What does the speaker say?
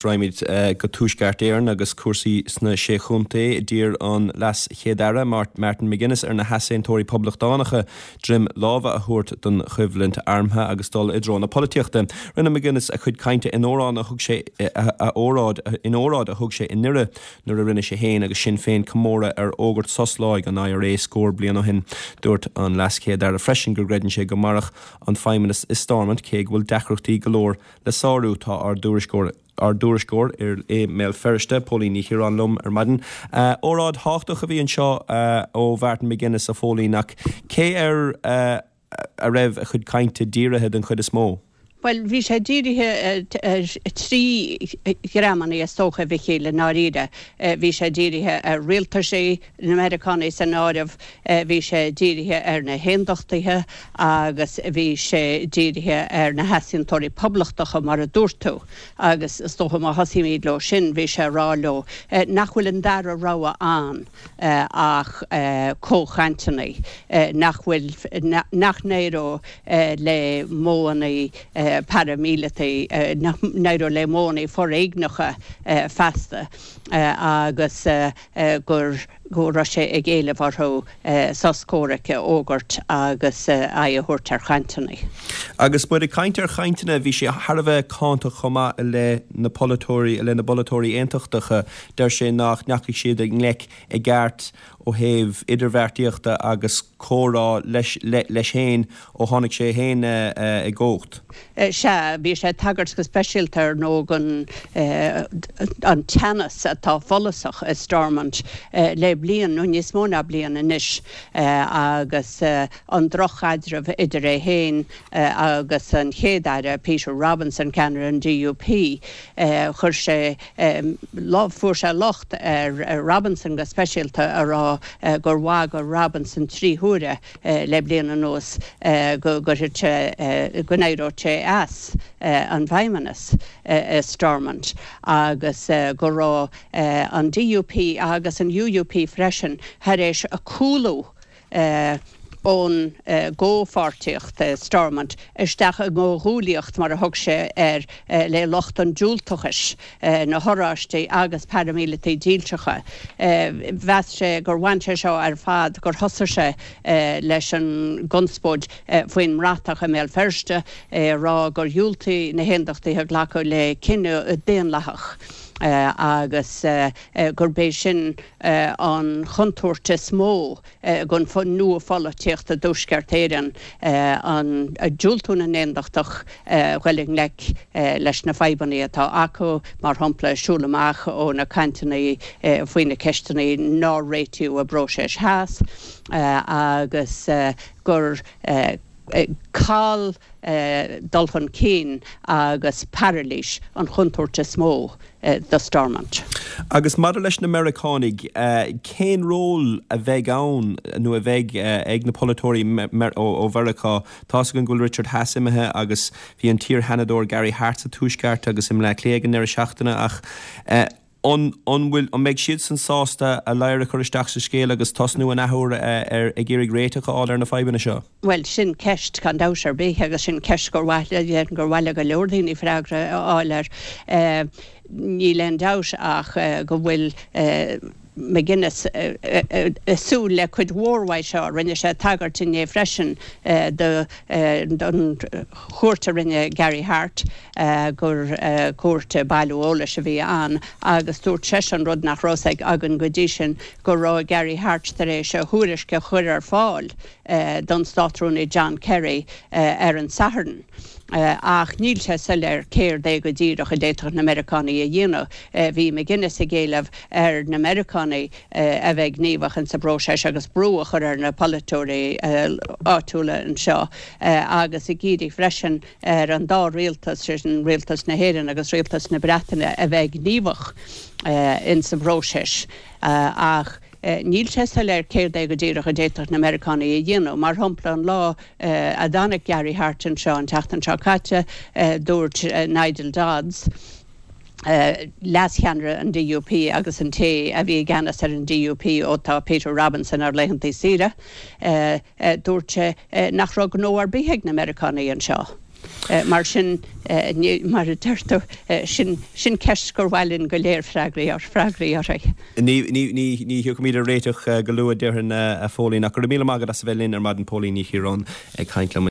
Raghaimid go Tuaisceart Éireann agus cúrsaí sna Sé Chontae. D'iarr an Leas-Chéad-Aire, Martin McGuinness, ar na heasaontóirí poblachtánacha droim láimhe a thabhairt don choimhlint armtha agus dul i dtreo na polaitíochta. Rinne McGuinness a chuid cainte in óráid a thug sé a óráid in óráid a thug sé i nDoire nuair a rinne sé féin agus Sinn Féin comóradh ar fhógairt sos láig an IRA scór bliain ó shin. Dúirt an Leas-Chéad-Aire freisin go gcreideann sé go mairfeadh an Feidhmeannas i Stormont cé go bhfuil deacrachtaí go leor le sárú. Tá ár dtuairisceoir ár dtuairisceoir i mBéal Feirste, Póilín Ní Chiaráin liom ar maidin. Óráid thábhachtach a bhí anseo ó Mhartin McGuinness, a Phóilín, ach cé air a raibh a chuid cainte dírithe den chuid is mó? Bhuel, bhí sé dírithe ar thrí dhreamanna is dócha, a Mhichíl, i ndáiríre. Bhí sé dírithe ar rialtaisí, na Meiriceánaigh san áireamh, bhí sé dírithe ar na hAondachtaithe agus bhí sé dírithe ar na heasaontóirí poblachtacha, mar a dúirt tú. Agus is dócha má thosaímid leo sin, bhí sé ag rá leo nach bhfuil an dara rogha ann ach comhchainteanna, nach bhfuil, nach n-éireodh le modhanna paraimíleataí, nach n-éireodh le modhanna foréigneacha feasta agus. gur go raibh sé ag éileamh orthu sos comhraic a fhógairt agus aghaidh a thabhairt ar chainteanna. Agus muid ag caint ar chainteanna, bhí sé thar a bheith cáinteach chomh maith i leith na polaiteoirí, i leith na bpolaiteoirí aontachtacha. Deir sé nach ndeachaigh siad i ngleic i gceart ó thaobh idirbheartaíochta agus comhrá leis leis féin ó tháinig sé féin i gcumhacht. Sea, bhí sé ag tagairt go speisialta ar ndóigh don an teannas atá follasach i Stormont le bliain nó níos mó ná bliain anois agus an droch-chaidreamh idir é féin agus an Chéad-Aire Peter Robinson, ceannaire an DUP. Chuir sé, fuair sé locht ar Robinson go speisialta a rá gur bhagair Robinson 3 huaire le bliain anuas go gcuirfeadh sé, go n-éireodh sé as an bhFeidhmeannas i Stormont agus go raibh an DUP agus an UUP freisin thar éis cúlú ón gcomhpháirtíocht i Stormont isteach i gcomhghuaillíocht, mar a thug sé air, le lucht an diúltachais. na hOráistigh agus paraimíleataigh dílseacha. Mheas sé gur bhain sé seo ar fad, gur thosaigh sé leis an gconspóid faoin mbratach i mBéal Feirste, é a rá gur dhiúltaigh na hAondachtaithe glacadh le cinneadh daonlathach agus gurb é sin an chontúirt is mó don nua-pholaitíocht i dTuaisceart Éireann, an diúltú na nAondachtach dhul i ngleic leis na fadhbanna atá acu, mar shampla, siúl amach ó na cainteanna faoi na ceisteanna nár réitíodh i bpróiseas Theas agus gur call dul chun cinn agus pairilís an chontúirt is mó do Stormont. Agus maidir leis na Meiriceánaigh, cén ról a bheidh ann nó a bheidh ag na polaiteoirí ó Mheiriceá? Tá's againn go bhfuil Richard Haass imithe agus bhí an t-iar-Sheanadóir Gary Hart sa Tuaisceart agus i mBleá Cliath ag an ndeireadh seachtaine ach an an bhfuil, an mbeidh siadsan sásta a ladhar a chur isteach sa scéal agus tosnú an athuair ar ag iarraidh réiteach a fháil ar na fadhbanna seo? Bhuel, sin ceist, gan dabht ar bith, agus sin ceist gur mhaith le, gur mhaith le go leor daoine freagra a fháil air. Níl aon dabht ach go bhfuil McGuinness ag súil le cuid mhór uaidh seo. Rinne sé tagairt inné freisin don chuairt a rinne Gary Hart, gur cuairt bailiú eolais a bhí ann agus dúirt seisean, rud nach raibh a fhios againn go dtí sin, go raibh Gary Hart tar éis a thuairisc a chur ar fáil don Státrúnaí John Kerry ar an Satharn. Ach níl sé soiléir céard é go díreach a d'fhéadfadh na Meiriceánaigh a dhéanamh. Bhí McGuinness ag éileamh ar na Meiriceánaigh a bheith gníomhach insa bpróiseas agus brú a chur ar na polaiteoirí áitiúla anseo agus ag iarraidh freisin ar an dá rialtas, sin rialtas na hÉireann agus rialtas na Breataine, a bheith gníomhach insa bpróiseas. Ach níl sé soiléir céard é go díreach a d'fhéadfadh na Meiriceánaigh a dhéanamh. Mar shampla, an lá a dtáinig Gary Hart anseo an tseachtain seo caite, dúirt Nigel Dodds, leascheannaire an DUP agus an té a bhí i gceannas ar an DUP ó tá Peter Robinson ar laethanta saoire, dúirt sé nach raibh gnó ar bith ag na Meiriceánaigh anseo. Mar sin, mar a deir tú, sin ceist gur mhaith linn go léir freagraí uirthi. Ní thiocfaimid ar réiteach go luath, déarfainn, a Phóilín, ach go raibh míle maith agat as a bheith linn ar maidin, Póilín Ní Chiaráin ag caint liom.